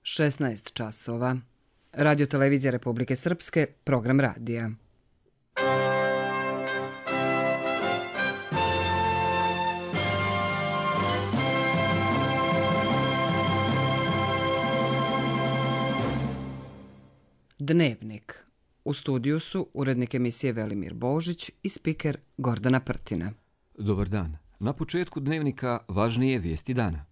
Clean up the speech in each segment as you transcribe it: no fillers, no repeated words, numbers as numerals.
16 časova. Radio Televizija Republike Srpske, program radija. Dnevnik. U studiju su urednik emisije Velimir Božić i spiker Gordana Prtina. Dobar dan. Na početku dnevnika važnije vijesti dana.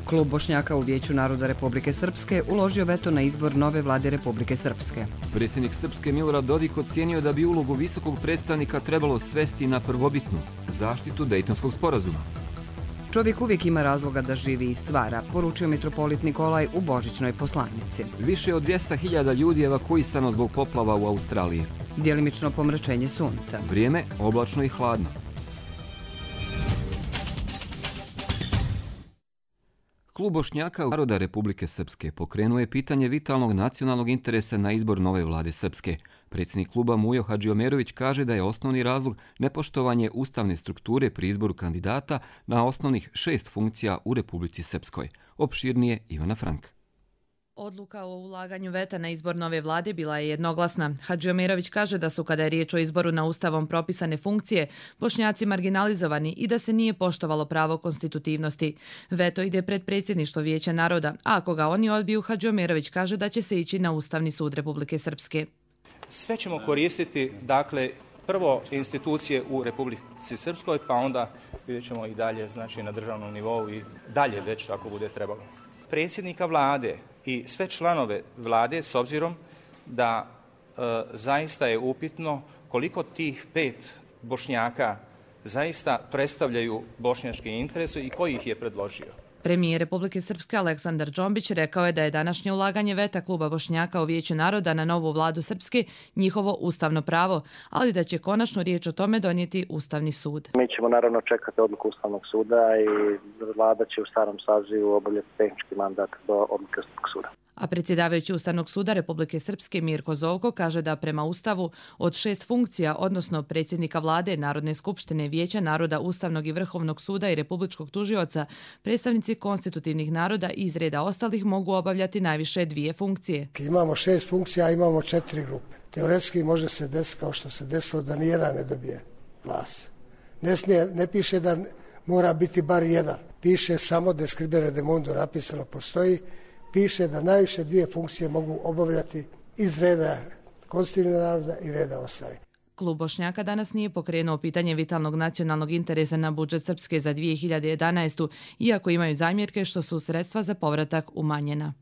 Klub Bošnjaka u Vijeću naroda Republike Srpske uložio veto na izbor nove vlade Republike Srpske. Predsjednik Srpske Milorad Dodik ocijenio da bi ulogu visokog predstavnika trebalo svesti na prvobitnu zaštitu Dejtonskog sporazuma. Čovjek uvijek ima razloga da živi i stvara, poručio mitropolit Nikolaj u božićnoj poslanici. Više od 200.000 ljudi evakuisano zbog poplava u Australiji. Djelimično pomračenje sunca. Vrijeme oblačno i hladno. Klub Bošnjaka naroda Republike Srpske pokrenuo je pitanje vitalnog nacionalnog interesa na izbor nove vlade Srpske. Predsjednik kluba Mujo Hadžiomerović kaže da je osnovni razlog nepoštovanje ustavne strukture pri izboru kandidata na osnovnih 6 funkcija u Republici Srpskoj. Opširnije Ivana Frank. Odluka o ulaganju veta na izbor nove vlade bila je jednoglasna. Hadžiomerović kaže da su, kada je riječ o izboru na ustavom propisane funkcije, Bošnjaci marginalizovani i da se nije poštovalo pravo konstitutivnosti. Veto ide pred predsjedništvo Vijeća naroda, a ako ga oni odbiju, Hadžiomerović kaže da će se ići na Ustavni sud Republike Srpske. Sve ćemo koristiti, dakle, prvo institucije u Republici Srpskoj, pa onda vidjet ćemo i dalje, znači na državnom nivou i dalje već ako bude trebalo. Predsjednika vlade i sve članove vlade, s obzirom da zaista je upitno koliko tih 5 Bošnjaka zaista predstavljaju bošnjačke interese i koji ih je predložio. Premijer Republike Srpske Aleksandar Džombić rekao je da je današnje ulaganje veta kluba Bošnjaka u Vijeću naroda na novu vladu Srpske njihovo ustavno pravo, ali da će konačno riječ o tome donijeti Ustavni sud. Mi ćemo naravno čekati odluku Ustavnog suda i vlada će u starom sazivu obavljati tehnički mandat do odluke Ustavnog suda. A predsjedavajući Ustavnog suda Republike Srpske Mirko Zovko kaže da prema Ustavu od 6 funkcija, odnosno predsjednika vlade, Narodne skupštine, Vijeća naroda, Ustavnog i Vrhovnog suda i Republičkog tužioca, predstavnici konstitutivnih naroda iz reda ostalih mogu obavljati najviše 2 funkcije. Imamo 6 funkcija, imamo 4 grupe. Teoretski može se desiti kao što se desilo da nijedan ne dobije glas. Ne piše da mora biti bar jedan. Piše samo describere de mundo, napisano postoji. Piše da najviše 2 funkcije mogu obavljati iz reda konstitutivnog naroda i reda ostalih. Klub Bošnjaka danas nije pokrenuo pitanje vitalnog nacionalnog interesa na budžet Srpske za 2011. iako imaju zamjerke što su sredstva za povratak umanjena.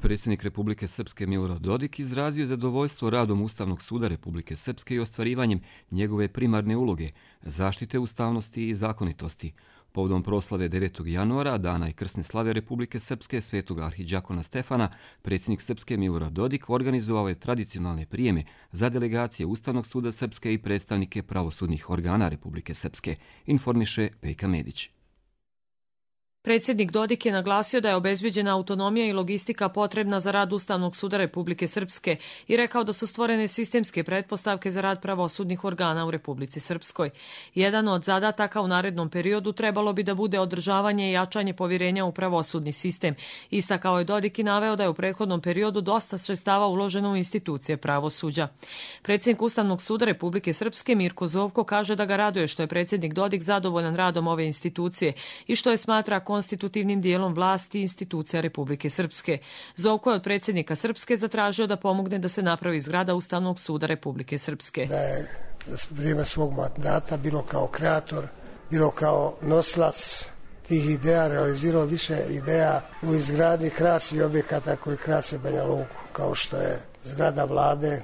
Predsjednik Republike Srpske Milorad Dodik izrazio zadovoljstvo radom Ustavnog suda Republike Srpske i ostvarivanjem njegove primarne uloge, zaštite ustavnosti i zakonitosti. Povodom proslave 9. januara, dana i krsne slave Republike Srpske svetog arhidžakona Stefana, predsjednik Srpske Milorad Dodik organizovao je tradicionalne prijeme za delegacije Ustavnog suda Srpske i predstavnike pravosudnih organa Republike Srpske, informiše Pejka Medić. Predsjednik Dodik je naglasio da je obezbeđena autonomija i logistika potrebna za rad Ustavnog suda Republike Srpske i rekao da su stvorene sistemske pretpostavke za rad pravosudnih organa u Republici Srpskoj. Jedan od zadataka u narednom periodu trebalo bi da bude održavanje i jačanje povjerenja u pravosudni sistem. Istakao je Dodik i naveo da je u prethodnom periodu dosta sredstava uloženo u institucije pravosuđa. Predsjednik Ustavnog suda Republike Srpske Mirko Zovko kaže da ga raduje što je predsjednik Dodik zadovoljan radom ove institucije i što je smatra konstitutivnim dijelom vlasti i institucija Republike Srpske. Zovko je od predsjednika Srpske zatražio da pomogne da se napravi zgrada Ustavnog suda Republike Srpske. Da je za vrijeme svog mandata bilo kao kreator, bilo kao noslac tih ideja, realizirao više ideja u izgradnji krasnih objekata koji krase Banja Luku, kao što je zgrada vlade,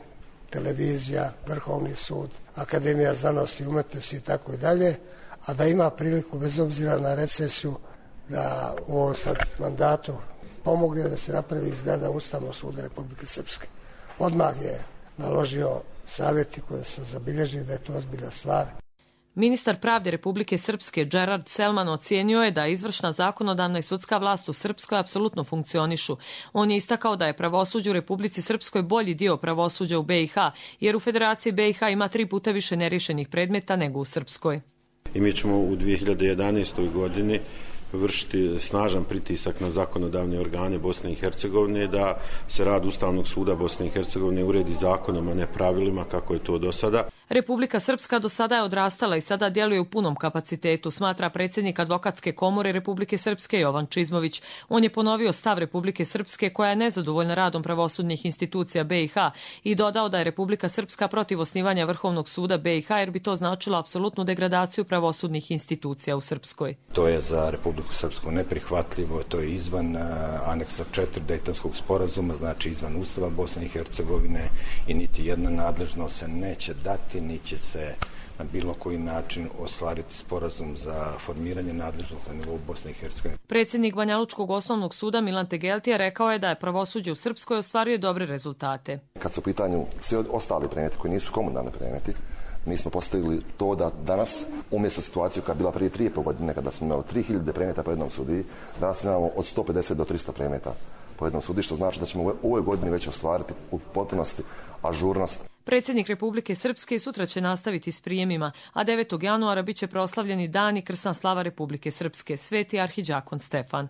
televizija, Vrhovni sud, Akademija znanosti i umjetnosti i tako i dalje, a da ima priliku bez obzira na recesiju da u ovom sad mandatu pomogne da se napravi zgrada Ustavnog suda Republike Srpske. Odmah je naložio savjetniku da se zabilježi da je to ozbiljna stvar. Ministar pravde Republike Srpske Gerard Selman ocijenio je da izvršna, zakonodavna i sudska vlast u Srpskoj apsolutno funkcionišu. On je istakao da je pravosuđe u Republici Srpskoj bolji dio pravosuđa u BiH, jer u Federaciji BiH ima 3 puta više neriješenih predmeta nego u Srpskoj. I mi ćemo u 2011. godini vršiti snažan pritisak na zakonodavne organe Bosne i Hercegovine da se rad Ustavnog suda Bosne i Hercegovine uredi zakonom, a ne pravilima kako je to do sada. Republika Srpska do sada je odrastala i sada djeluje u punom kapacitetu, smatra predsjednik Advokatske komore Republike Srpske Jovan Čizmović. On je ponovio stav Republike Srpske koja je nezadovoljna radom pravosudnih institucija BiH i dodao da je Republika Srpska protiv osnivanja Vrhovnog suda BiH jer bi to značilo apsolutnu degradaciju pravosudnih institucija u Srpskoj. To je za Republiku Srpsku neprihvatljivo, to je izvan aneksa 4 Dejtonskog sporazuma, znači izvan Ustava Bosne i Hercegovine i niti jedna nadležnost se neće dati, niti će se na bilo koji način ostvariti sporazum za formiranje nadležnosti na nivou Bosne i Hercegovine. Predsjednik Banjalučkog osnovnog suda Milan Tegeltija rekao je da je pravosuđe u Srpskoj ostvaruje dobre rezultate. Kad su u pitanju svi ostali predmeti koji nisu komunalni predmeti, mi smo postavili to da danas, umjesto situaciju koja je bila prije 3,5 godine, kada smo imali 3000 predmeta po jednom sudiji, danas imamo od 150 do 300 predmeta po jednom sudiji, što znači da ćemo u ovoj godini već ostvariti u potpunosti ažurnost. Predsjednik Republike Srpske sutra će nastaviti s prijemima, a 9. januara bit će proslavljeni dan i krsna slava Republike Srpske, Sveti arhidžakon Stefan.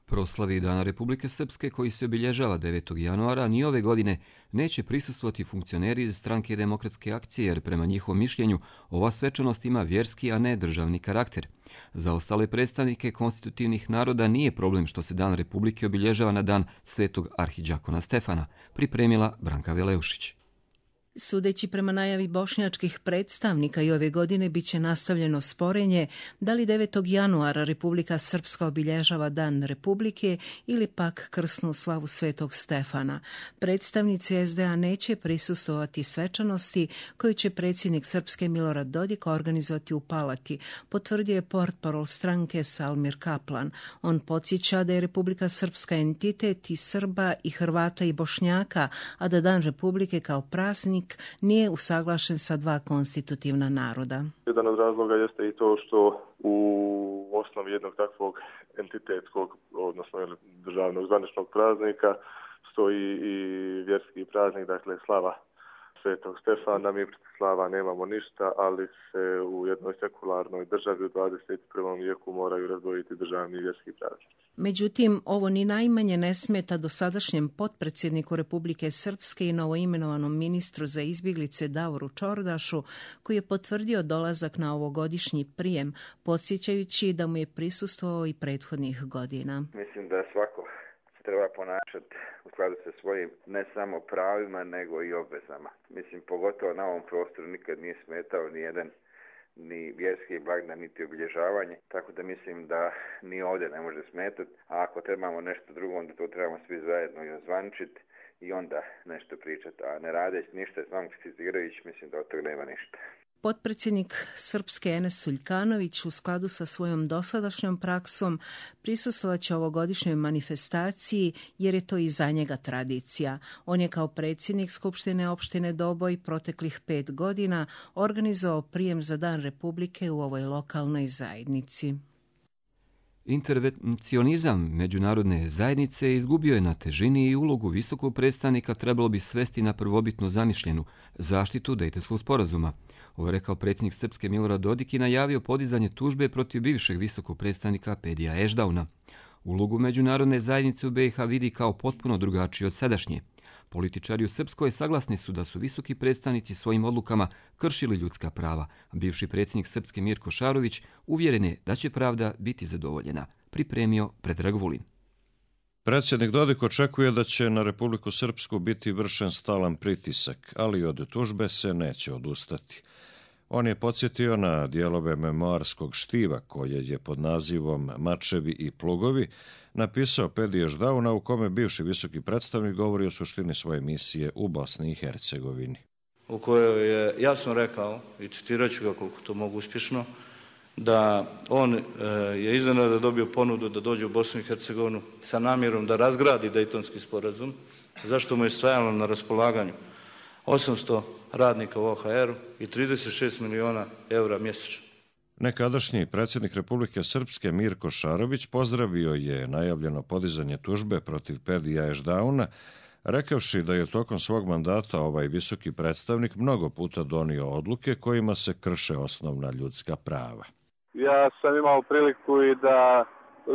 Proslavi Dana Republike Srpske, koji se obilježava 9. januara, ni ove godine neće prisustvovati funkcioneri iz Stranke demokratske akcije, jer prema njihovom mišljenju ova svečanost ima vjerski, a ne državni karakter. Za ostale predstavnike konstitutivnih naroda nije problem što se Dan Republike obilježava na dan Svetog arhidžakona Stefana, pripremila Branka Veleušić. Sudeći prema najavi bošnjačkih predstavnika i ove godine bit će nastavljeno sporenje da li 9. januara Republika Srpska obilježava Dan Republike ili pak krsnu slavu Svetog Stefana. Predstavnici SDA neće prisustvovati svečanosti koju će predsjednik Srpske Milorad Dodik organizovati u Palati, potvrdio je portparol stranke Salmir Kaplan. On podsjeća da je Republika Srpska entitet i Srba i Hrvata i Bošnjaka, a da Dan Republike kao praznik nije usaglašen sa 2 konstitutivna naroda. Jedan od razloga jeste i to što u osnovi jednog takvog entitetskog, odnosno državnog zvaničnog praznika, stoji i vjerski praznik, dakle slava Svetog Stefana. Mi protiv slava nemamo ništa, ali se u jednoj sekularnoj državi u 21. vijeku moraju razdvojiti državni i vjerski praznik. Međutim, ovo ni najmanje ne smeta dosadašnjem potpredsjedniku Republike Srpske i novoimenovanom ministru za izbjeglice Davoru Čordašu, koji je potvrdio dolazak na ovogodišnji prijem, podsjećajući da mu je prisustvovao i prethodnih godina. Mislim da svako se treba ponašati u skladu sa svojim ne samo pravima, nego i obvezama. Mislim, pogotovo na ovom prostoru nikad nije smetao ni jedan ni vjerski blagdan, niti obilježavanje, tako da mislim da ni ovdje ne može smetati, a ako trebamo nešto drugo, onda to trebamo svi zajedno i ozvančiti i onda nešto pričati, a ne radeći ništa, samo kritizirajući, mislim da od toga nema ništa. Potpredsjednik Srpske Enes Suljkanović u skladu sa svojom dosadašnjom praksom prisustvovat će ovogodišnjoj manifestaciji jer je to i za njega tradicija. On je kao predsjednik Skupštine opštine Doboj proteklih 5 godina organizovao prijem za Dan Republike u ovoj lokalnoj zajednici. Intervencionizam međunarodne zajednice izgubio je na težini i ulogu visokog predstavnika trebalo bi svesti na prvobitno zamišljenu zaštitu Dejtonskog sporazuma. Ovo je rekao predsjednik Srpske Milorad Dodik i najavio podizanje tužbe protiv bivšeg visokog predstavnika Pedija Ešdauna. Ulogu međunarodne zajednice u BiH vidi kao potpuno drugačiji od sadašnje. Političari u Srpskoj saglasni su da su visoki predstavnici svojim odlukama kršili ljudska prava. Bivši predsjednik Srpske Mirko Šarović uvjeren je da će pravda biti zadovoljena. Pripremio Predrag Vulin. Predsjednik Dodik očekuje da će na Republiku Srpsku biti vršen stalan pritisak, ali od tužbe se neće odustati. On je podsjetio na dijelove memoarskog štiva koje je pod nazivom Mačevi i plugovi napisao Pedi Ešdauna, u kome bivši visoki predstavnik govori o suštini svoje misije u Bosni i Hercegovini. U kojoj je jasno rekao, i citirat ću ga koliko to mogu uspješno, da on je iznenada dobio ponudu da dođe u Bosnu i Hercegovinu sa namjerom da razgradi Dejtonski sporazum, zašto mu je stajalo na raspolaganju 800 radnika u OHR-u i 36 miliona eura mjesečno. Nekadašnji predsjednik Republike Srpske Mirko Šarobić pozdravio je najavljeno podizanje tužbe protiv Pedija Ešdauna, rekavši da je tokom svog mandata ovaj visoki predstavnik mnogo puta donio odluke kojima se krše osnovna ljudska prava. Ja sam imao priliku i da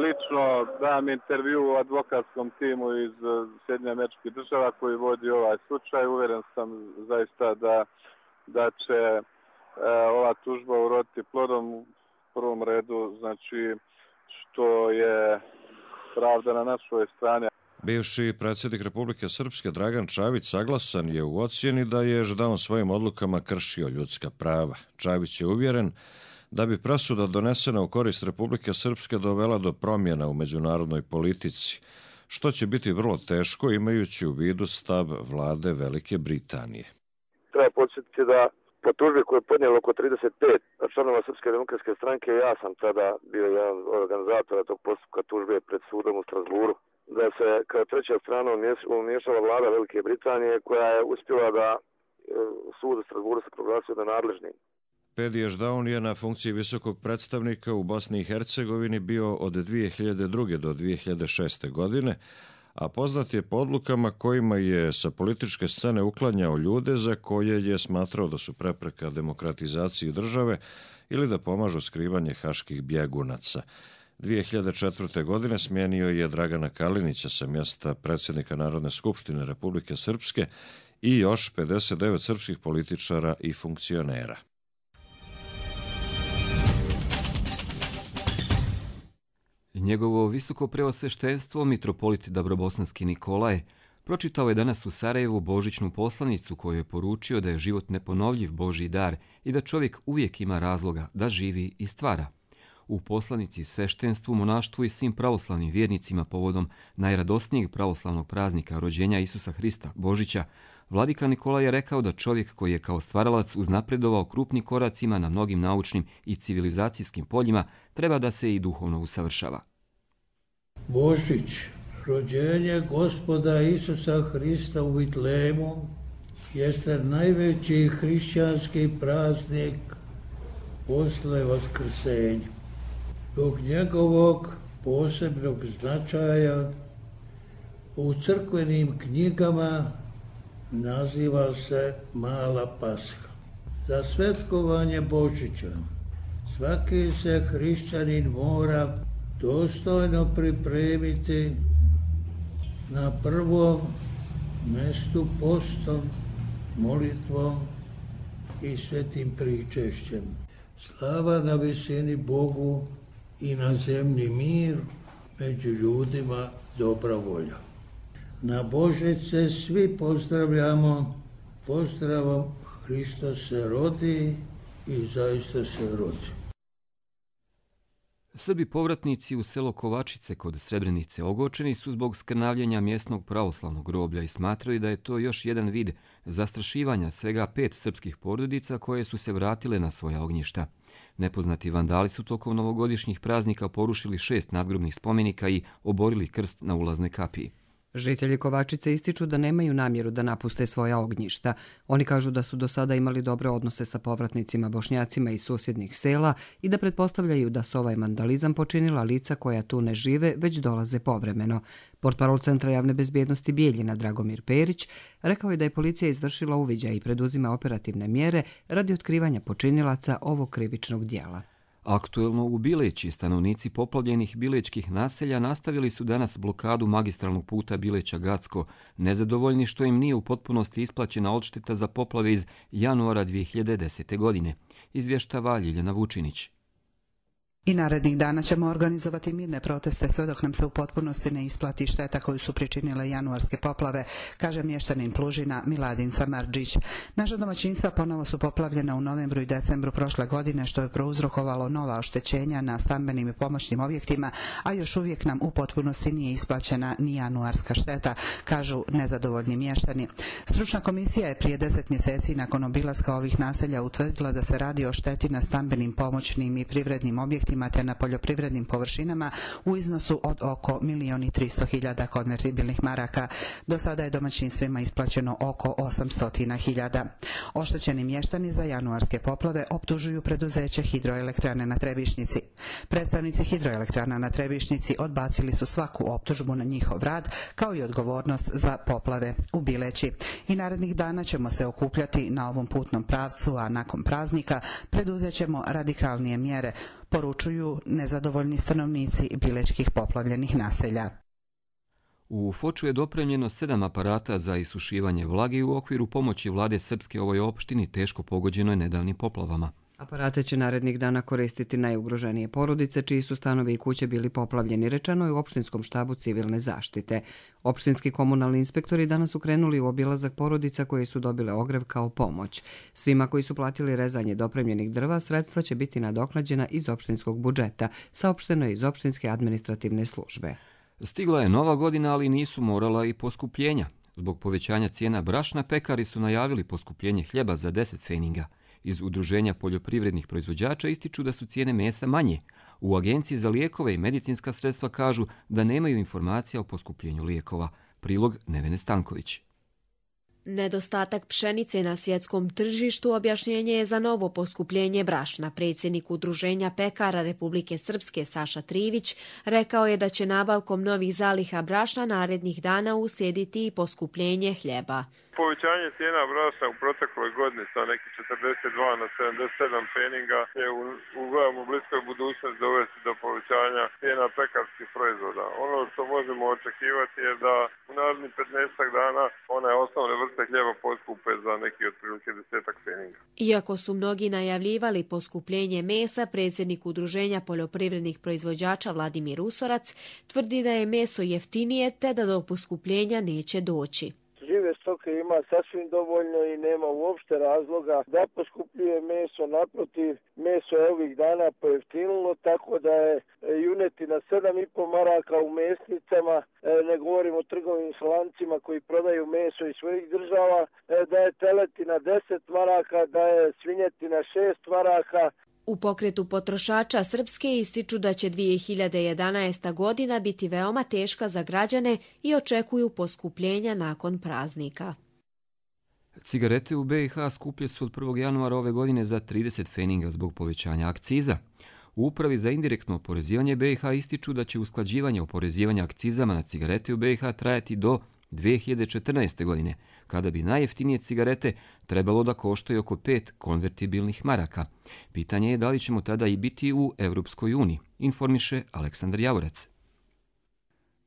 lično dam intervju u advokatskom timu iz Sjedinjenih Američkih Država koji vodi ovaj slučaj. Uvjeren sam zaista da će ova tužba uroditi plodom u prvom redu, znači što je pravda na našoj strani. Bivši predsjednik Republike Srpske Dragan Čavić saglasan je u ocjeni da je Ešdaun svojim odlukama kršio ljudska prava. Čavić je uvjeren da bi presuda donesena u korist Republike Srpske dovela do promjena u međunarodnoj politici, što će biti vrlo teško imajući u vidu stav vlade Velike Britanije. Treba podsjetiti da po tužbi koju je podnijelo oko 35 članova Srpske demokratske stranke, ja sam tada bio jedan od organizatora tog postupka tužbe pred sudom u Strasburu, da se kao treća strana umiješala vlada Velike Britanije koja je uspjela da sud u Strasburu se proglasio nenadležnim. Pedi Ešdaun je na funkciji visokog predstavnika u Bosni i Hercegovini bio od 2002. do 2006. godine, a poznat je po odlukama kojima je sa političke scene uklanjao ljude za koje je smatrao da su prepreka demokratizaciji države ili da pomažu skrivanje haških bjegunaca. 2004. godine smijenio je Dragana Kalinića sa mjesta predsjednika Narodne skupštine Republike Srpske i još 59 srpskih političara i funkcionera. Njegovo visoko preosveštenstvo, mitropolit Dabrobosanski Nikolaj, pročitao je danas u Sarajevu božićnu poslanicu koju je poručio da je život neponovljiv Božji dar i da čovjek uvijek ima razloga da živi i stvara. U poslanici sveštenstvu, monaštvu i svim pravoslavnim vjernicima povodom najradosnijeg pravoslavnog praznika rođenja Isusa Hrista, Božića, vladika Nikolaj je rekao da čovjek koji je kao stvaralac uznapredovao krupnim koracima na mnogim naučnim i civilizacijskim poljima treba da se i duhovno usavršava. Božić, rođenje Gospoda Isusa Hrista u Vitlemu, jeste najveći hrišćanski praznik posle Vaskrsenja. Zbog njegovog posebnog značaja u crkvenim knjigama naziva se Mala Pasha. Za svetkovanje Božića svaki se hrišćanin mora dostojno pripremiti na prvom mjestu postom, molitvom i svetim pričešćem. Slava na visini Bogu i na zemlji mir, među ljudima dobra volja. Na Božić se svi pozdravljamo pozdravom Hristos se rodi i zaista se rodi. Srbi povratnici u selo Kovačice kod Srebrenice ogorčeni su zbog skrnavljenja mjesnog pravoslavnog groblja i smatraju da je to još jedan vid zastrašivanja svega 5 srpskih porodica koje su se vratile na svoja ognjišta. Nepoznati vandali su tokom novogodišnjih praznika porušili 6 nadgrobnih spomenika i oborili krst na ulaznoj kapiji. Žitelji Kovačice ističu da nemaju namjeru da napuste svoja ognjišta. Oni kažu da su do sada imali dobre odnose sa povratnicima Bošnjacima iz susjednih sela i da pretpostavljaju da su ovaj vandalizam počinila lica koja tu ne žive, već dolaze povremeno. Portparol Centra javne bezbjednosti Bijeljina Dragomir Perić rekao je da je policija izvršila uviđaj i preduzima operativne mjere radi otkrivanja počinilaca ovog krivičnog djela. Aktuelno u Bileći stanovnici poplavljenih bilečkih naselja nastavili su danas blokadu magistralnog puta Bileća-Gacko, nezadovoljni što im nije u potpunosti isplaćena odšteta za poplave iz januara 2010. godine, izvještava Ljiljana Vučinić. I narednih dana ćemo organizovati mirne proteste sve dok nam se u potpunosti ne isplati šteta koju su pričinile januarske poplave, kaže mještanin Plužina Miladin Samardžić. Naša domaćinstva ponovo su poplavljena u novembru i decembru prošle godine, što je prouzrokovalo nova oštećenja na stambenim i pomoćnim objektima, a još uvijek nam u potpunosti nije isplaćena ni januarska šteta, kažu nezadovoljni mještani. Stručna komisija je prije 10 mjeseci nakon obilaska ovih naselja utvrdila da se radi o šteti na stambenim, pomoćnim i privrednim objektima objektima te na poljoprivrednim površinama u iznosu od oko 1.300.000 konvertibilnih maraka. Do sada je domaćinstvima isplaćeno oko 800.000. Oštećeni mještani za januarske poplave optužuju preduzeće Hidroelektrane na Trebišnjici. Predstavnici Hidroelektrana na Trebišnjici odbacili su svaku optužbu na njihov rad, kao i odgovornost za poplave u Bileći. I narednih dana ćemo se okupljati na ovom putnom pravcu, a nakon praznika preduzet ćemo radikalnije mjere, poručuju nezadovoljni stanovnici bilečkih poplavljenih naselja. U Foču je dopremljeno 7 aparata za isušivanje vlage u okviru pomoći vlade Srpske ovoj opštini teško pogođenoj nedavnim poplavama. Aparate će narednih dana koristiti najugroženije porodice, čiji su stanovi i kuće bili poplavljeni, rečeno je u opštinskom štabu civilne zaštite. Opštinski komunalni inspektori danas su krenuli u obilazak porodica koje su dobile ogrev kao pomoć. Svima koji su platili rezanje dopremljenih drva, sredstva će biti nadoknađena iz opštinskog budžeta, saopšteno je iz opštinske administrativne službe. Stigla je nova godina, ali nisu morala i poskupljenja. Zbog povećanja cijena brašna, pekari su najavili poskupljenje hljeba za 10 feninga. Iz Udruženja poljoprivrednih proizvođača ističu da su cijene mesa manje. U Agenciji za lijekove i medicinska sredstva kažu da nemaju informacija o poskupljenju lijekova. Prilog Nevene Stanković. Nedostatak pšenice na svjetskom tržištu objašnjenje je za novo poskupljenje brašna. Predsjednik Udruženja pekara Republike Srpske Saša Trivić rekao je da će nabavkom novih zaliha brašna narednih dana uslijediti i poskupljenje hljeba. Povećanje cijena brašna u protekloj godini sa nekih 42 na 77 feninga je u bliskoj budućnosti dovesti do povećanja cijena pekarskih proizvoda. Ono što možemo očekivati je da u narednih 15 dana one osnovne vrste hljeba poskupe za neki otprilike 10 feninga. Iako su mnogi najavljivali poskupljenje mesa, predsjednik Udruženja poljoprivrednih proizvođača Vladimir Usorac tvrdi da je meso jeftinije te da do poskupljenja neće doći. Žive stoke ima sasvim dovoljno i nema uopšte razloga da poskupljuje meso. Naprotiv, meso je ovih dana pojeftinilo, tako da je junetina 7,5 maraka u mesnicama, ne govorimo o trgovinskim lancima koji prodaju meso iz svojih država, da je teletina 10 maraka, da je svinjetina 6 maraka. U pokretu potrošača Srpske ističu da će 2011. godina biti veoma teška za građane i očekuju poskupljenja nakon praznika. Cigarete u BiH skuplje su od 1. januara ove godine za 30 feninga zbog povećanja akciza. U Upravi za indirektno oporezivanje BiH ističu da će usklađivanje oporezivanja akcizama na cigarete u BiH trajati do 2014. godine, kada bi najjeftinije cigarete trebalo da koštaju oko 5 konvertibilnih maraka. Pitanje je da li ćemo tada i biti u Evropskoj uniji, informiše Aleksandar Javorac.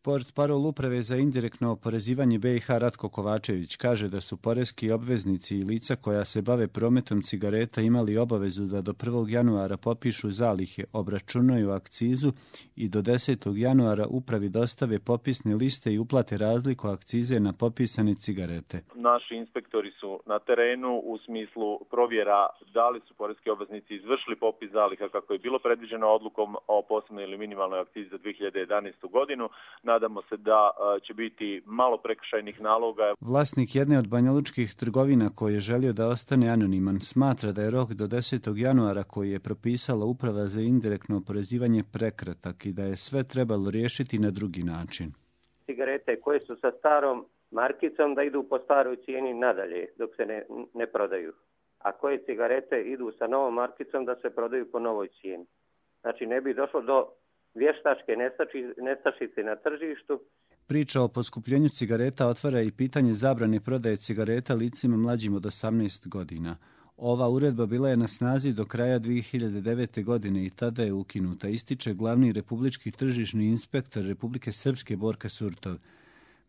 Portparol Uprave za indirektno oporezivanje BiH Ratko Kovačević kaže da su poreski obveznici i lica koja se bave prometom cigareta imali obavezu da do 1. januara popišu zalihe, obračunaju akcizu i do 10. januara upravi dostave popisne liste i uplate razliku akcize na popisane cigarete. Naši inspektori su na terenu u smislu provjera da li su poreski obveznici izvršili popis zaliha kako je bilo predviđeno odlukom o posebnoj ili minimalnoj akcizi za 2011. godinu. Nadamo se da će biti malo prekršajnih naloga. Vlasnik jedne od banjalučkih trgovina koji je želio da ostane anoniman smatra da je rok do 10. januara koji je propisala Uprava za indirektno oporezivanje prekratak i da je sve trebalo riješiti na drugi način. Cigarete koje su sa starom markicom da idu po staroj cijeni nadalje dok se ne prodaju. A koje cigarete idu sa novom markicom da se prodaju po novoj cijeni. Znači ne bi došlo do vještačke nestašice na tržištu. Priča o poskupljenju cigareta otvara i pitanje zabrane prodaje cigareta licima mlađim od 18 godina. Ova uredba bila je na snazi do kraja 2009. godine i tada je ukinuta, ističe glavni republički tržišni inspektor Republike Srpske Borka Surtov.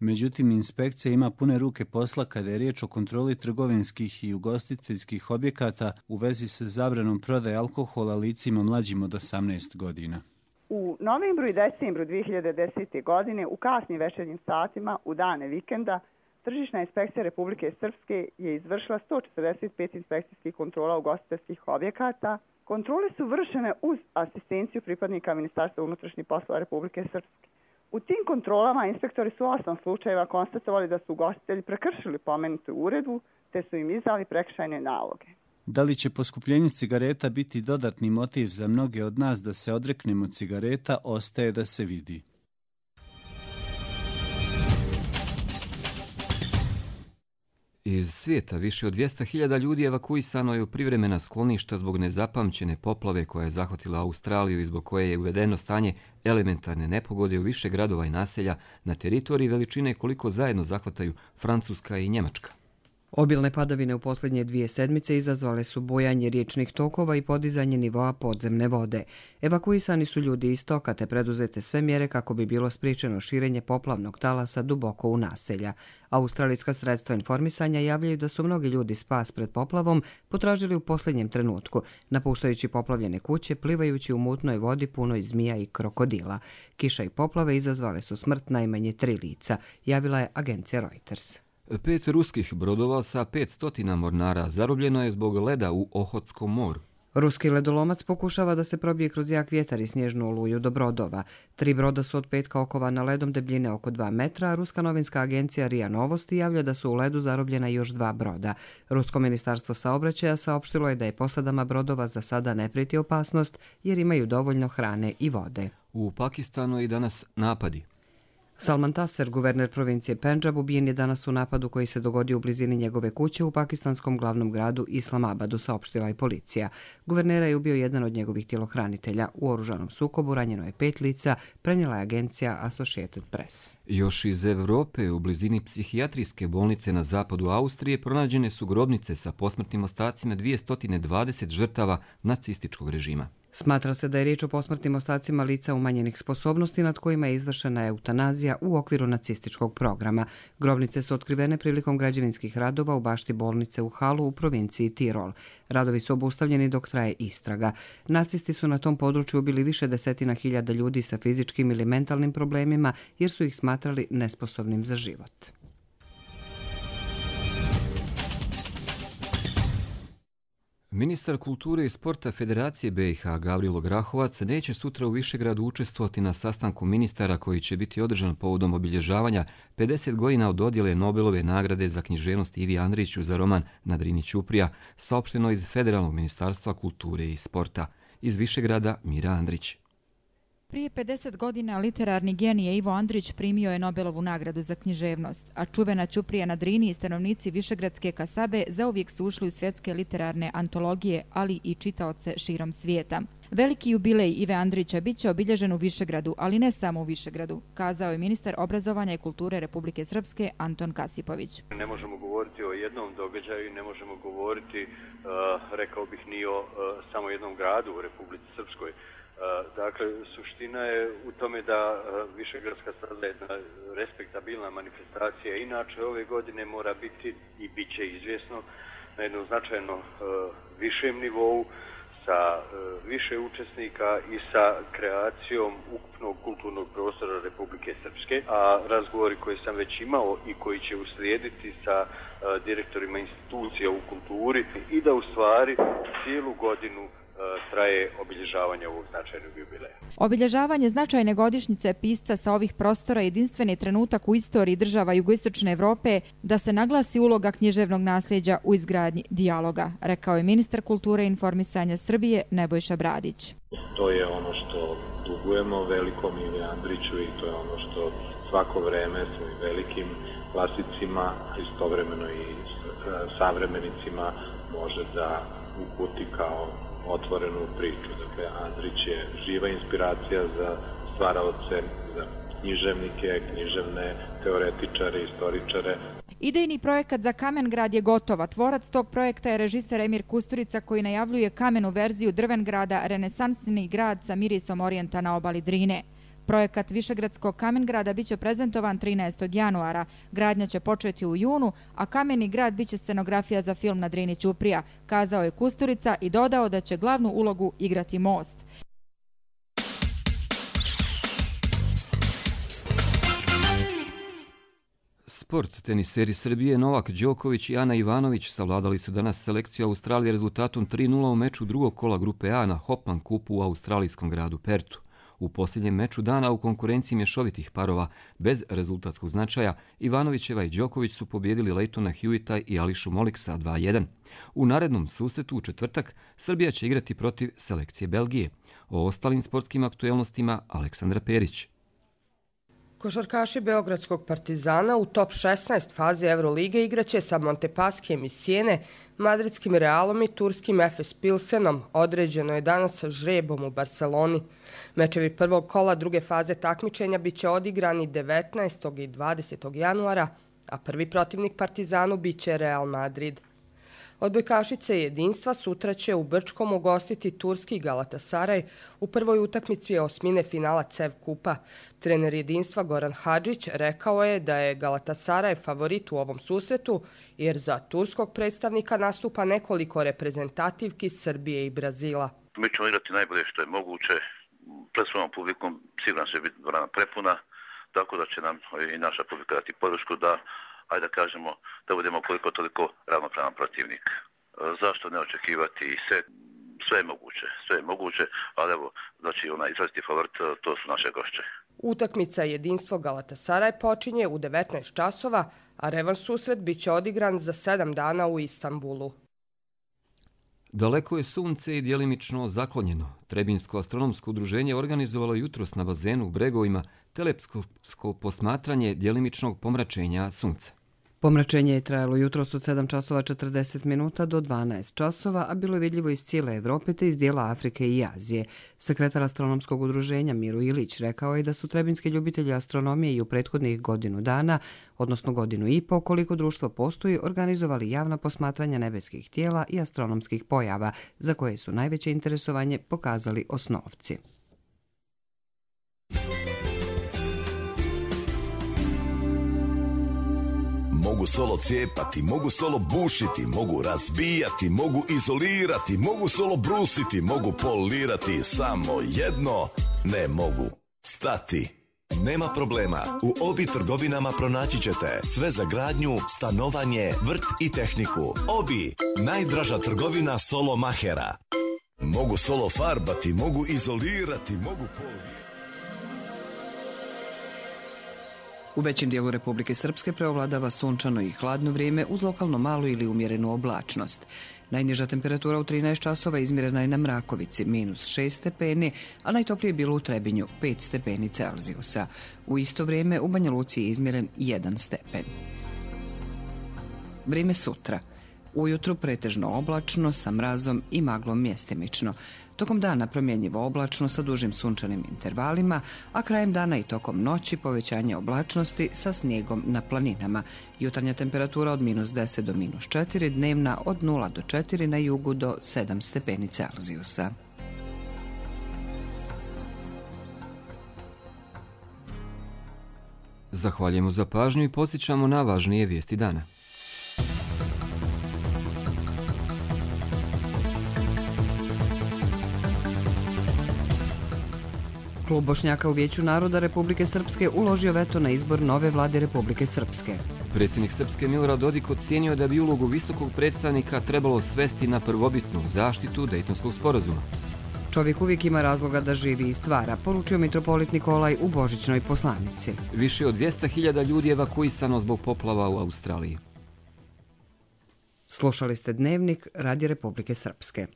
Međutim, inspekcija ima pune ruke posla kada je riječ o kontroli trgovinskih i ugostiteljskih objekata u vezi sa zabranom prodaje alkohola licima mlađim od 18 godina. U novembru i decembru 2010. godine u kasnim večernjim satima u dane vikenda Tržišna inspekcija Republike Srpske je izvršila 145 inspekcijskih kontrola ugostiteljskih objekata. Kontrole su vršene uz asistenciju pripadnika Ministarstva unutrašnjih poslova Republike Srpske. U tim kontrolama inspektori su 8 slučajeva konstatovali da su ugostitelji prekršili pomenutu uredbu te su im izdali prekršajne naloge. Da li će poskupljenje cigareta biti dodatni motiv za mnoge od nas da se odreknemo cigareta, ostaje da se vidi. Iz svijeta više od 200.000 ljudi evakuisano je u privremena skloništa zbog nezapamćene poplave koja je zahvatila Australiju i zbog koje je uvedeno stanje elementarne nepogode u više gradova i naselja na teritoriji veličine koliko zajedno zahvataju Francuska i Njemačka. Obilne padavine u posljednje 2 sedmice izazvale su bujanje riječnih tokova i podizanje nivoa podzemne vode. Evakuisani su ljudi iz toka te preduzete sve mjere kako bi bilo spriječeno širenje poplavnog talasa duboko u naselja. Australijska sredstva informisanja javljaju da su mnogi ljudi spas pred poplavom potražili u posljednjem trenutku, napuštajući poplavljene kuće, plivajući u mutnoj vodi punoj zmija i krokodila. Kiša i poplave izazvale su smrt najmanje 3 lica, javila je agencija Reuters. 5 ruskih brodova sa 500 mornara zarobljeno je zbog leda u Ohotskom moru. Ruski ledolomac pokušava da se probije kroz jak vjetar i snježnu oluju do brodova. 3 broda su od petka okovana ledom debljine oko 2 metra, a ruska novinska agencija RIA Novosti javlja da su u ledu zarobljena još 2 broda. Rusko ministarstvo saobraćaja saopštilo je da je posadama brodova za sada ne prijeti opasnost jer imaju dovoljno hrane i vode. U Pakistanu i danas napadi. Salman Taseer, guverner provincije Pendžab, ubijen je danas u napadu koji se dogodio u blizini njegove kuće u pakistanskom glavnom gradu Islamabadu, saopštila je policija. Guvernera je ubio jedan od njegovih tjelohranitelja. U oružanom sukobu ranjeno je 5 lica, prenijela je agencija Associated Press. Još iz Evrope, u blizini psihijatrijske bolnice na zapadu Austrije, pronađene su grobnice sa posmrtnim ostacima 220 žrtava nacističkog režima. Smatra se da je riječ o posmrtnim ostacima lica umanjenih sposobnosti nad kojima je izvršena eutanazija u okviru nacističkog programa. Grobnice su otkrivene prilikom građevinskih radova u bašti bolnice u Halu u provinciji Tirol. Radovi su obustavljeni dok traje istraga. Nacisti su na tom području ubili više desetina hiljada ljudi sa fizičkim ili mentalnim problemima jer su ih smatrali nesposobnim za život. Ministar kulture i sporta Federacije BiH Gavrilo Grahovac neće sutra u Višegradu učestvovati na sastanku ministara koji će biti održan povodom obilježavanja 50 godina od dodjele Nobelove nagrade za književnost Ivi Andriću za roman Na Drini Ćuprija, saopšteno iz Federalnog ministarstva kulture i sporta. Iz Višegrada Mira Andrić. Prije 50 godina literarni genije Ivo Andrić primio je Nobelovu nagradu za književnost, a čuvena Ćuprija na Drini i stanovnici Višegradske kasabe zauvijek su ušli u svjetske literarne antologije, ali i čitaoce širom svijeta. Veliki jubilej Ive Andrića bit će obilježen u Višegradu, ali ne samo u Višegradu, kazao je ministar obrazovanja i kulture Republike Srpske Anton Kasipović. Ne možemo govoriti o jednom događaju, ne možemo govoriti, rekao bih, ni o samo jednom gradu u Republici Srpskoj. Dakle, suština je u tome da Višegradska sada je jedna respektabilna manifestacija. Inače, ove godine mora biti i bit će izvjesno na jednom značajno višem nivou, sa više učesnika i sa kreacijom ukupnog kulturnog prostora Republike Srpske. A razgovori koje sam već imao i koji će uslijediti sa direktorima institucija u kulturi i da u stvari cijelu godinu traje obilježavanje ovog značajnog jubileja. Obilježavanje značajne godišnjice pisca sa ovih prostora jedinstveni trenutak u istoriji država jugoistočne Evrope da se naglasi uloga književnog nasljeđa u izgradnji dijaloga, rekao je ministar kulture i informisanja Srbije Nebojša Bradić. To je ono što dugujemo velikom Ivi Andriću i to je ono što svako vreme svojim velikim klasicima, istovremeno i savremenicima može da uputi kao otvorenu priču. Dakle, Andrić je živa inspiracija za stvaraoce, za književnike, književne teoretičare, istoričare. Idejni projekat za Kamen-grad je gotova. Tvorac tog projekta je režiser Emir Kusturica koji najavljuje kamenu verziju Drvengrada, renesansni grad sa mirisom orijenta na obali Drine. Projekat Višegradskog Kamen-grada biće prezentovan 13. januara. Gradnja će početi u junu, a Kameni grad biće scenografija za film Na Drini Ćuprija, kazao je Kusturica i dodao da će glavnu ulogu igrati Most. Sport. Teniseri Srbije Novak Đoković i Ana Ivanović savladali su danas selekciju Australije rezultatom 3:0 u meču drugog kola grupe A na Hopman kupu u australijskom gradu Pertu. U posljednjem meču dana u konkurenciji mješovitih parova bez rezultatskog značaja Ivanovićeva i Đoković su pobijedili Lejtona Hewita i Ališu Moliksa 2:1. U narednom susretu u četvrtak Srbija će igrati protiv selekcije Belgije. O ostalim sportskim aktuelnostima Aleksandra Perić. Košarkaši Beogradskog Partizana u top 16 faze Eurolige igraće sa Montepaskijem iz Sijene, madridskim Realom i turskim Efes Pilsenom. Određeno je danas žrebom u Barceloni. Mečevi prvog kola druge faze takmičenja biće odigrani 19. i 20. januara, a prvi protivnik Partizanu biće Real Madrid. Odbojkašice Jedinstva sutra će u Brčkom ugostiti turski Galatasaraj u prvoj utakmici osmine finala CEV Kupa. Trener Jedinstva Goran Hadžić rekao je da je Galatasaraj favorit u ovom susretu jer za turskog predstavnika nastupa nekoliko reprezentativki Srbije i Brazila. Mi ćemo igrati najbolje što je moguće. Pred svojom publikom sigurno će biti dvorana prepuna, tako da će nam i naša publika dati podršku da ajde da kažemo da budemo koliko toliko ravnopravan protivnik. Zašto ne očekivati sve je moguće, ali evo, znači izraziti favorit, to su naše gošće. Utakmica Jedinstvo Galatasaraj počinje u 19 časova, a revanš susret biće odigran za 7 dana u Istanbulu. Daleko je sunce i djelimično zaklonjeno. Trebinsko astronomsko udruženje organizovalo jutros na bazenu u Bregovima teleskopsko posmatranje djelimičnog pomračenja sunca. Pomračenje je trajalo jutros od 7 časova 40 minuta do 12 časova, a bilo je vidljivo iz cijele Evrope te iz dijela Afrike i Azije. Sekretar astronomskog udruženja Miro Ilić rekao je da su trebinski ljubitelji astronomije i u prethodnih godinu dana, odnosno godinu i po, koliko društvo postoji, organizovali javna posmatranja nebeskih tijela i astronomskih pojava, za koje su najveće interesovanje pokazali osnovci. Mogu solo cijepati, mogu solo bušiti, mogu razbijati, mogu izolirati, mogu solo brusiti, mogu polirati, samo jedno ne mogu stati. Nema problema, u Obi trgovinama pronaći ćete sve za gradnju, stanovanje, vrt i tehniku. Obi, najdraža trgovina solo mahera. Mogu solo farbati, mogu izolirati, mogu polirati. U većem dijelu Republike Srpske preovladava sunčano i hladno vrijeme uz lokalno malu ili umjerenu oblačnost. Najniža temperatura u 13 časova izmjerena je na Mrakovici, -6 stepeni, a najtoplije je bilo u Trebinju, 5 stepeni Celzijusa. U isto vrijeme u Banja Luci je izmjeren 1 stepen. Vrijeme sutra. Ujutru pretežno oblačno sa mrazom i maglom mjestimično. Tokom dana promjenjivo oblačno sa dužim sunčanim intervalima, a krajem dana i tokom noći povećanje oblačnosti sa snijegom na planinama. Jutarnja temperatura od -10 do -4, dnevna od 0 do 4, na jugu do 7 stepeni Celzijusa. Zahvaljujemo za pažnju i podsjećamo na važnije vijesti dana. Klub Bošnjaka u Vijeću naroda Republike Srpske uložio veto na izbor nove vlade Republike Srpske. Predsjednik Srpske Milorad Dodik ocijenio da bi ulogu visokog predstavnika trebalo svesti na prvobitnu zaštitu Dejtonskog sporazuma. Čovjek uvijek ima razloga da živi i stvara, poručio mitropolit Nikolaj u božićnoj poslanici. Više od 200.000 ljudi evakuisano zbog poplava u Australiji. Slušali ste Dnevnik Radija Republike Srpske.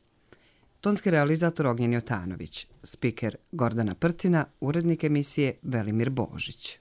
Tonski realizator Ognjen Jotanović, spiker Gordana Prtina, urednik emisije Velimir Božić.